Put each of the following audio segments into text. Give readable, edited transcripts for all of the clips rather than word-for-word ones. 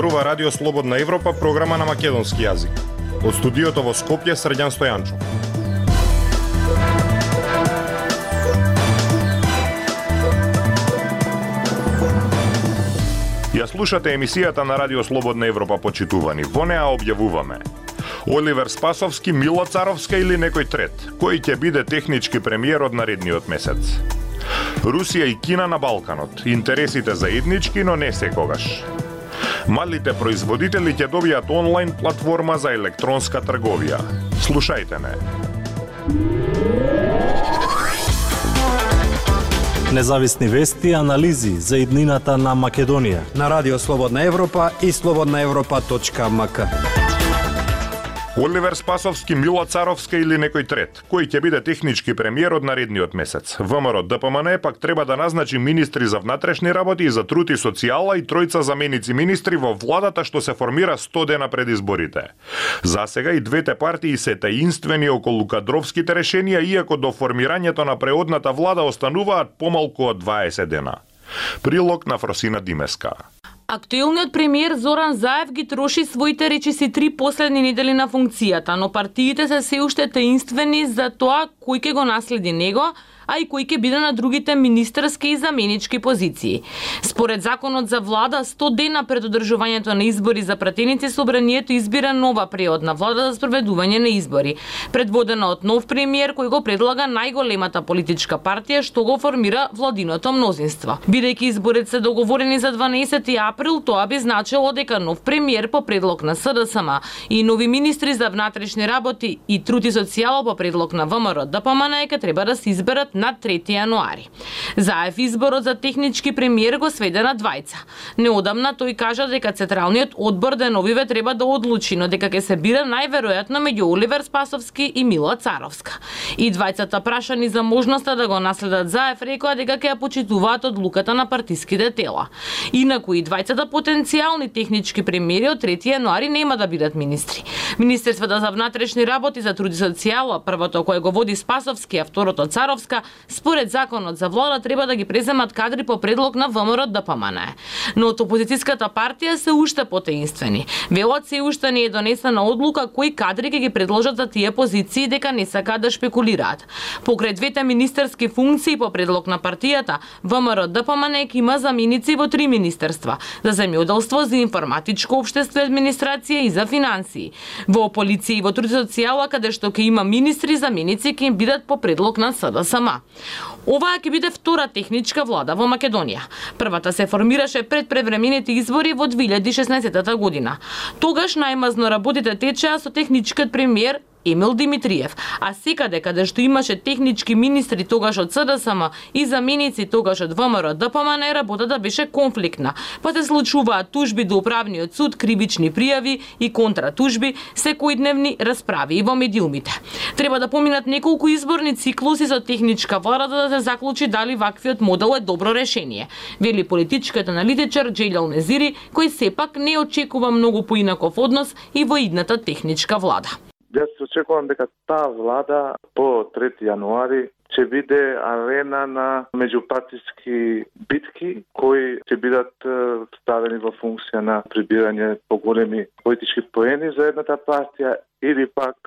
Зборува Радио Слободна Европа, програма на македонски јазик. Од студиото во Скопје, Срđan Стојанчов. Ја слушате емисијата на Радио Слободна Европа, почитувани. Во неа објавуваме: Оливер Спасовски, Мило Царовска или некој трет? Кој ќе биде технички премиер од наредниот месец? Русија и Кина на Балканот. Интересите заеднички, но не секогаш. Малите производители ќе добијат онлайн платформа за електронска трговија. Слушајте не. Независни вести и анализи за иднината на Македонија на Радио Слободна Европа и slobodnaevropa.mk. Оливер Спасовски, Мило Царовска или некој трет? Кој ќе биде технички премиер од наредниот месец? ВМРО ДПМН пак треба да назначи министри за внатрешни работи и за труд и социјала и тројца заменици министри во владата што се формира 100 дена пред изборите. За сега и двете партии се таинствени околу кадровските решенија, иако до формирањето на преодната влада остануваат помалку од 20 дена. Прилог на Фросина Димеска. Актуелниот премиер Зоран Заев ги троши своите речиси 3 последни недели на функцијата, но партиите се се уште таинствени за тоа кој ќе го наследи него, а и кој ќе биде на другите министерски и заменички позиции. Според законот за влада, 100 дена пред одржувањето на избори за пратеници, собранието избира нова преодна влада за спроведување на избори, предводена од нов премиер кој го предлага најголемата политичка партија што го формира владиното мнозинство. Бидејќи изборите се договорени за 12 април, тоа би значило дека нов премиер по предлог на СДСМ и нови министри за внатрешни работи и труд и социјала по предлог на ВМРО ДПМН ќе треба да се изберат на 3 јануари. Заев изборот за технички премиер го сведе на двајца. Неодамна тој кажа дека Централниот одбор деновиве треба да одлучи, но дека ќе се бира најверојатно меѓу Оливер Спасовски и Мила Царовска. И двајцата прашани за можноста да го наследат Заев рекоа дека ќе ја почитуваат одлуката на партиските тела. Инаку и двајцата потенцијални технички премиери од 3 јануари нема да бидат министри. Министерството за внатрешни работи, за труд и социјала, првото кое го води Спасовски, а второто Царовска, според законот за влада треба да ги преземат кадри по предлог на ВМРО ДПМН. Но од опозицијската партија се уште потаинствени. Велат се уште не е донесена одлука кои кадри ќе ги предложат за тие позиции, дека не сакаат да шпекулираат. Покрај двете министерски функции по предлог на партијата, ВМРО ДПМН има заменици во 3 министерства: за земјоделство, за информатичко општество и администрација и за финансии. Во полиција и во труд и социјала, каде што ќе има министри, заменици ќе им бидат по предлог на СДСМ. Оваа ќе биде втора техничка влада во Македонија. Првата се формираше пред превремените избори во 2016 година. Тогаш најмазно работите течеа со техничкиот премиер Емил Димитриев, а секаде каде што имаше технички министри тогаш од СДСМ и заменици тогаш од ВМРО ДПМН, работата беше конфликтна, па се случуваат тужби до управниот суд, кривични пријави и контратужби, секојдневни расправи и во медиумите. Треба да поминат неколку изборни циклуси со техничка влада да се заклучи дали ваквиот модел е добро решение, вели политичкиот аналитичар Джелјал Незири, кој сепак не очекува многу поинаков однос и во идната техничка влада. Јас очекувам дека таа влада по 3 јануари ќе биде арена на меѓупартиски битки кои ќе бидат ставени во функција на прибирање поголеми политички поени за едната партија или пак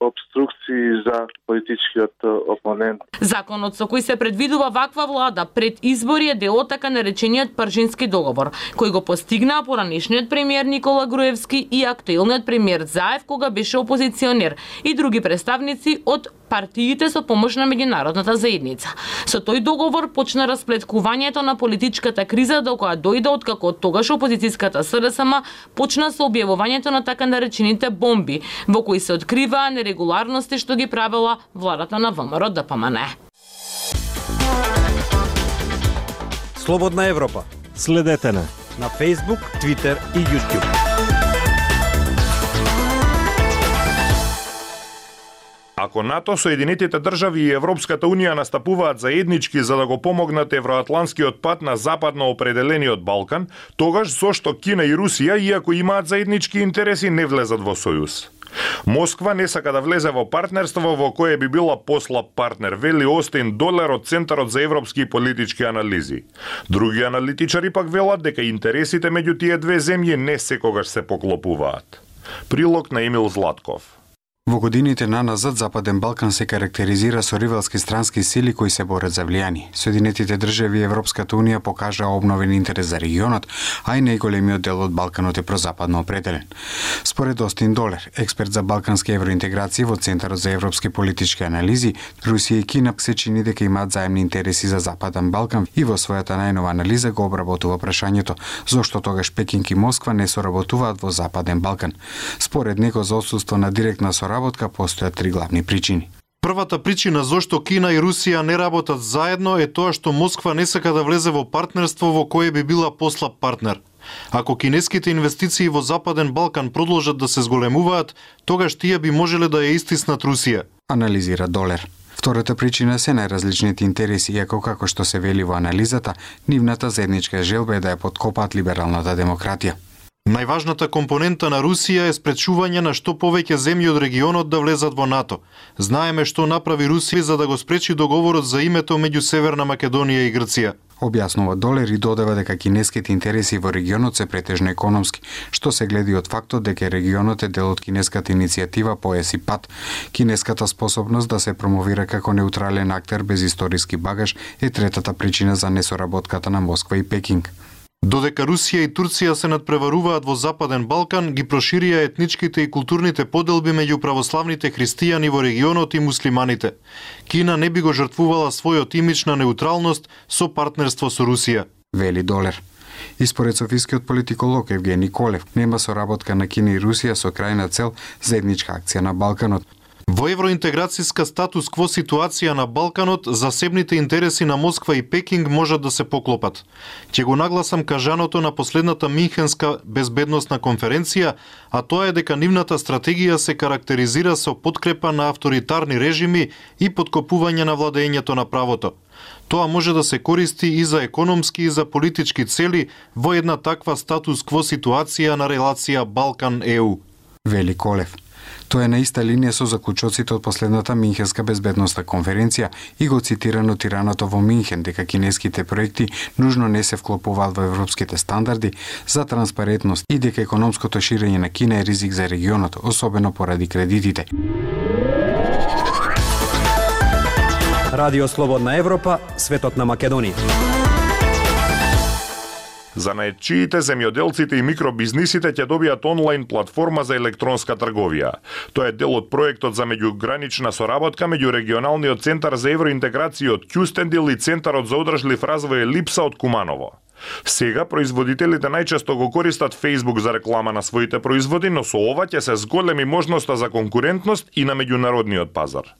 обструкции за политичкиот опонент. Законот со кој се предвидува ваква влада пред избори е дел од така наречениот Пржински договор, кој го постигнаа поранешниот премиер Никола Груевски и актуелниот премиер Заев кога беше опозиционер и други представници од партиите со помош на меѓународната заедница. Со тој договор почна расплеткувањето на политичката криза до која дојде откако тогаш опозицијската СДСМ почна со објавувањето на така наречените бомби, во кои се откриваа нерегуларности што ги правела владата на ВМРО ДПМН. Слободна Европа. Следете на Facebook, Twitter и YouTube. Ако НАТО, Соединетите држави и Европската Унија настапуваат заеднички за да го помогнат евроатланскиот пат на западно определениот Балкан, тогаш зошто Кина и Русија, иако имаат заеднички интереси, не влезат во сојуз? Москва не сака да влезе во партнерство во кое би била послаб партнер, вели Остин Долер од Центарот за европски и политички анализи. Други аналитичари пак велат дека интересите меѓу тие две земји не секогаш се поклопуваат. Прилог на Емил Златков. Во годините наназад Западен Балкан се карактеризира со ривалски странски сили кои се борат за влијание. Соединетите држави и Европската унија покажаа обновен интерес за регионот, а и најголемиот дел од Балканот е прозападно определен. Според Остин Долер, експерт за балкански евроинтеграција во Центарот за европски политички анализи, Русија и Кина се чини дека имаат заемни интереси за Западен Балкан и во својата најнова анализа го обработува прашањето зошто тогаш Пекинг и Москва не соработуваат во Западен Балкан. Според него за отсуство на директна соработка постојат три главни причини. Првата причина зошто Кина и Русија не работат заедно е тоа што Москва не сака да влезе во партнерство во кое би била послаб партнер. Ако кинеските инвестиции во Западен Балкан продолжат да се зголемуваат, тогаш тие би можеле да ја истиснат Русија, анализира Долер. Втората причина се најразличните интереси, иако како што се вели во анализата, нивната заедничка желба е да ја подкопаат либералната демократија. Најважната компонента на Русија е спречување на што повеќе земји од регионот да влезат во НАТО. Знаеме што направи Русија за да го спречи договорот за името меѓу Северна Македонија и Грција. Објаснува Долер и додава дека кинеските интереси во регионот се претежно економски, што се гледи од фактот дека регионот е дел од кинеската иницијатива Појас и пат. Кинеската способност да се промовира како неутрален актер без историски багаж е третата причина за несоработката на Москва и Пекинг. Додека Русија и Турција се надпреваруваат во Западен Балкан, ги проширија етничките и културните поделби меѓу православните христијани во регионот и муслиманите. Кина не би го жртвувала својот имидж на неутралност со партнерство со Русија, вели Долер. И според софискиот политиколог Евгени Колев, нема соработка на Кина и Русија со крајна цел заедничка акција на Балканот. Во евроинтеграцијска статус-кво ситуација на Балканот, засебните интереси на Москва и Пекинг можат да се поклопат. Ќе го нагласам кажаното на последната Минхенска безбедносна конференција, а тоа е дека нивната стратегија се карактеризира со подкрепа на авторитарни режими и подкопување на владењето на правото. Тоа може да се користи и за економски и за политички цели во една таква статус-кво ситуација на релација Балкан-ЕУ, вели Колев. Тоа е на иста линија со заклучоците од последната Минхенска безбедносна конференција и го цитирано тираното во Минхен дека кинеските проекти нужно не се вклопуваат во европските стандарди за транспарентност и дека економското ширење на Кина е ризик за регионот, особено поради кредитите. Радио Слободна Европа, светот на Македонија. Занаетчиите, земјоделците и микробизнисите ќе добијат онлайн платформа за електронска трговија. Тоа е дел од проектот за меѓугранична соработка меѓу регионалниот центар за евроинтеграција од Кюстендил и Центарот за одржлив развој Липса од Куманово. Сега производителите најчесто го користат Facebook за реклама на своите производи, но со ова ќе се зголеми можноста за конкурентност и на меѓународниот пазар.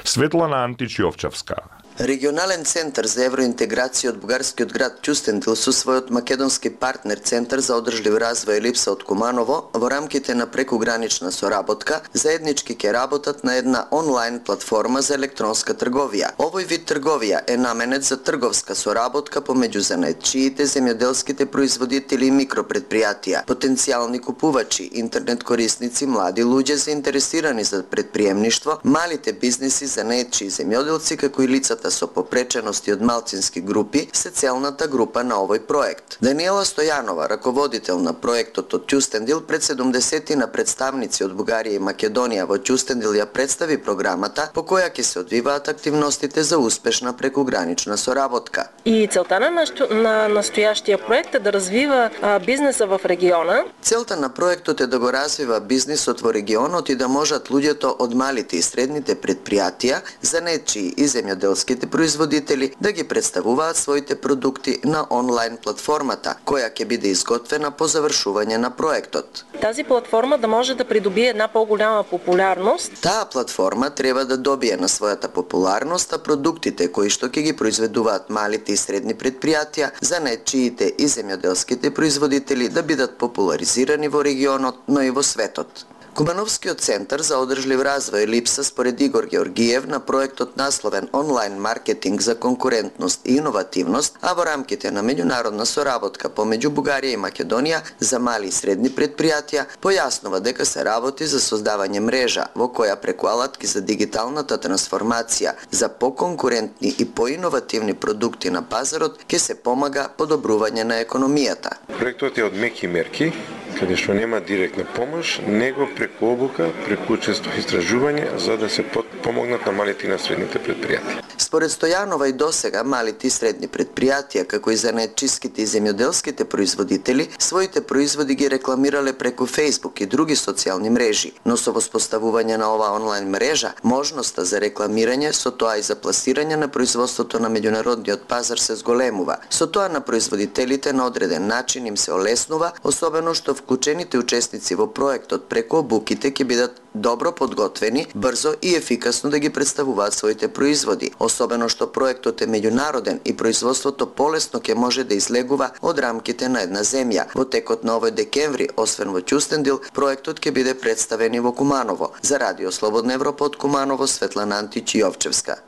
Светлана Античјовчевска. Регионален центар за евроинтеграција од бугарскиот град Кюстендил со својот македонски партнер Центар за одржлив развој Липса од Куманово во рамките на прекугранична соработка заеднички ќе работат на една онлайн платформа за електронска трговија. Овој вид трговија е наменет за трговска соработка помеѓу занаетчиите, земјоделските производители и микропредпријатија, потенцијални купувачи, интернет корисници, млади луѓе заинтересирани за претприемништво, малите бизниси, занаетчи и земјоделци како и лицата со попречености од малцински групи се целната група на овој проект. Даниела Стојанова, раководител на проектот од Кюстендил, пред 70 на представници од Бугарија и Македонија во Кюстендил ја представи програмата по која ќе се одвиваат активностите за успешна прекугранична соработка. И целта на настоящия проект е да развива бизнеса в региона. Целта на проектот е да го развива бизнисот во регионот и да можат луѓето од малите и средните предпријатија, занаетчии и земјоделските производители да ги представуваат своите продукти на онлайн платформата, која ќе биде изготвена по завршување на проектот. Тази платформа да може да придобие една поголема популярност. Таа платформа треба да добие на својата популарност, а продуктите кои што ќе ги произведуваат малите и средни предпријатија, занаетчиите и земјоделските производители да бидат популаризирани во регионот, но и во светот. Кумановскиот центар за одржлив развој липса според Игор Георгиев на проектот насловен онлайн маркетинг за конкурентност и иновативност, а во рамките на меѓународна соработка помеѓу Бугарија и Македонија за мали и средни предпријатија, појаснува дека се работи за создавање мрежа во која преку алатки за дигиталната трансформација за поконкурентни и поиновативни продукти на пазарот ќе се помага подобрување на економијата. Проектот е од меки мерки, каде што нема директна помош, него преку обука, преку учество и истражување за да се помогнат на малите и на средните предпријатија. Според Стојанова и досега малите и средни предпријатија, како и занаетчиските и земјоделските производители, своите производи ги рекламирале преку Facebook и други социјални мрежи, но со воспоставување на ова онлайн мрежа, можноста за рекламирање, со тоа и за пласирање на производството на меѓународниот пазар се зголемува. Со тоа на производителите на одреден начин им се олеснува, особено што вклучените учесници во проектот преку обуките ќе бидат добро подготвени, брзо и ефикасно да ги представуваат своите производи, особено што проектот е меѓународен и производството полесно ќе може да излегува од рамките на една земја. Во текот на овој декември, освен во Ќустендил, проектот ќе биде представен и во Куманово. За Радио Слободна Европа од Куманово, Светлана Антич Јовчевска.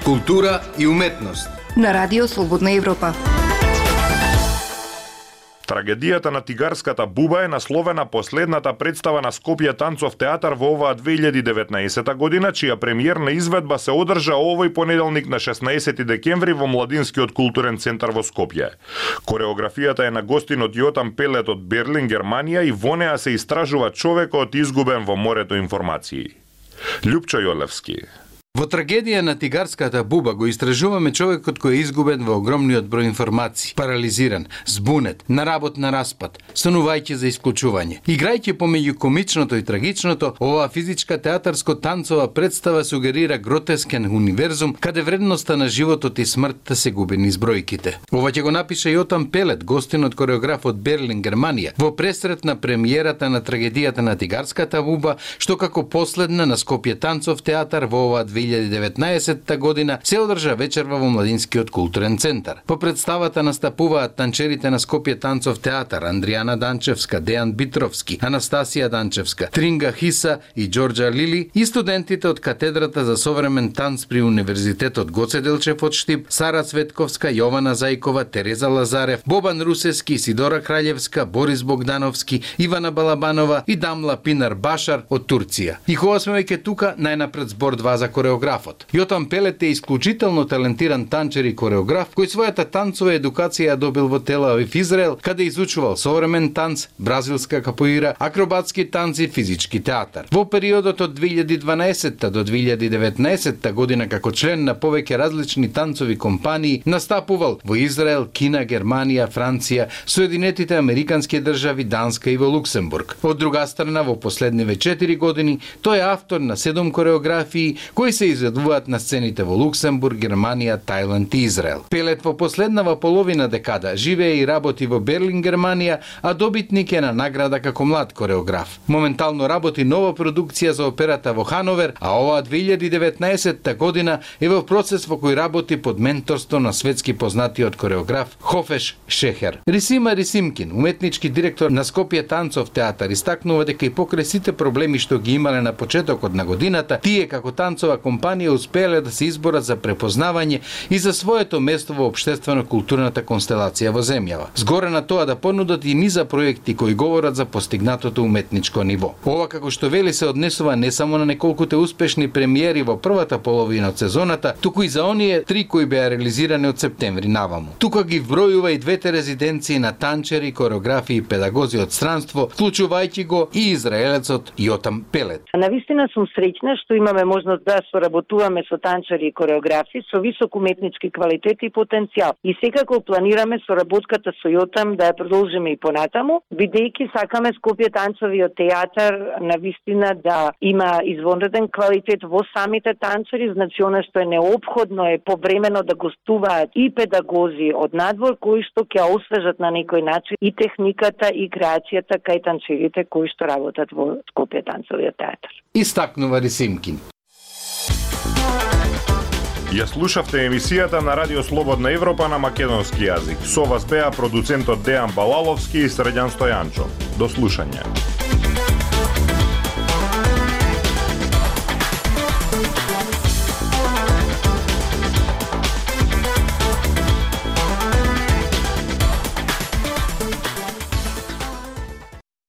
Култура и уметност на Радио Слободна Европа. Трагедијата на тигарската буба е насловена последната представа на Скопје танцов театар во оваа 2019 година, чија премиерна изведба се одржа овој понеделник на 16 декември во Младинскиот културен центар во Скопје. Кореографијата е на гостинот Јотам Пелет од Берлин, Германија, и во неа се истражува човекот изгубен во морето информации. Љупчо Јолевски. Во трагедија на тигарската буба го истражуваме човекот кој е изгубен во огромниот број информации, парализиран, збунет, на работ на распад, сонувајќи за исклучување. Играјќи помеѓу комичното и трагичното, оваа физичка театарско-танцова представа сугерира гротескен универзум каде вредноста на животот и смртта се губи низ бројките. Ова ќе го напише Јотам Пелет, гостинот кореограф од Берлин, Германија, во пресрет на премиерата на трагедијата на тигарската буба, што како последна на Скопје танцов театар во оваа 2019 година се одржа вечерва во Младинскиот културен центар. По представата настапуваат танчерите на Скопје танцов театар Андријана Данчевска, Дејан Битровски, Анастасија Данчевска, Тринга Хиса и Џорџа Лили и студентите од катедрата за современ танц при Универзитетот Гоце Делчев од Штип, Сара Цветковска, Јована Зајкова, Тереза Лазарев, Бобан Русевски, Сидора Краљевска, Борис Богдановски, Ивана Балабанова и Дамла Пинар Башар од Турција. И кога сме веќе тука, најнапред збор 2 за кореографот. Јотам Пелет е исклучително талентиран танчер и кореограф кој својата танцова едукација добил во Тел Авив, Израел, каде изучувал современ танц, бразилска капоира, акробатски танци и физички театар. Во периодот од 2012 до 2019 година како член на повеќе различни танцови компании настапувал во Израел, Кина, Германија, Франција, Соединетите Американски држави, Данска и во Луксембург. Од друга страна, во последниве 4 години тој е автор на 7 кореографии кои се изведуваат на сцените во Луксембург, Германија, Тајланд и Израел. Пелет во последнава половина декада живее и работи во Берлин, Германија, а добитник е на награда како млад кореограф. Моментално работи нова продукција за операта во Хановер, а оваа 2019 година е во процес во кој работи под менторство на светски познатиот кореограф Хофеш Шехер. Рисима Рисимкин, уметнички директор на Скопје танцов театар, истакнува дека и покрај сите проблеми што ги имале на почетокот на годината, тие како танцова компанија успеале да се изборат за препознавање и за своето место во општествено-културната констелација во земјава. Згоре на тоа да понудат и низа проекти кои говорат за постигнатото уметничко ниво. Ова, како што вели, се однесува не само на неколкуте успешни премиери во првата половина од сезоната, туку и за оние 3 кои беа реализирани од септември наваму. Тука ги вбројува и двете резиденции на танчери, кореографи и педагози од странство, вклучувајќи го и израелецот Јотам Пелет. Навистина сум среќна што имаме можност да соработуваме со танчери и кореографи со висок уметнички квалитет и потенцијал. И секако планираме соработката со Јотам да ја продолжиме и понатаму, бидејќи сакаме Скопје танцовиот театар навистина да има извонреден квалитет во самите танцори, значи она што е неопходно е повремено да гостуваат и педагози од надвор кои што ќе освежат на некој начин и техниката и креацијата кај танцерите кои што работат во Скопје танцовиот театар. Истакнува Рисимкин. Ја слушавте емисијата на Радио Слободна Европа на македонски јазик. Со вас беа продуцентот Дејан Балаловски и Средјан Стојанчо. До слушање.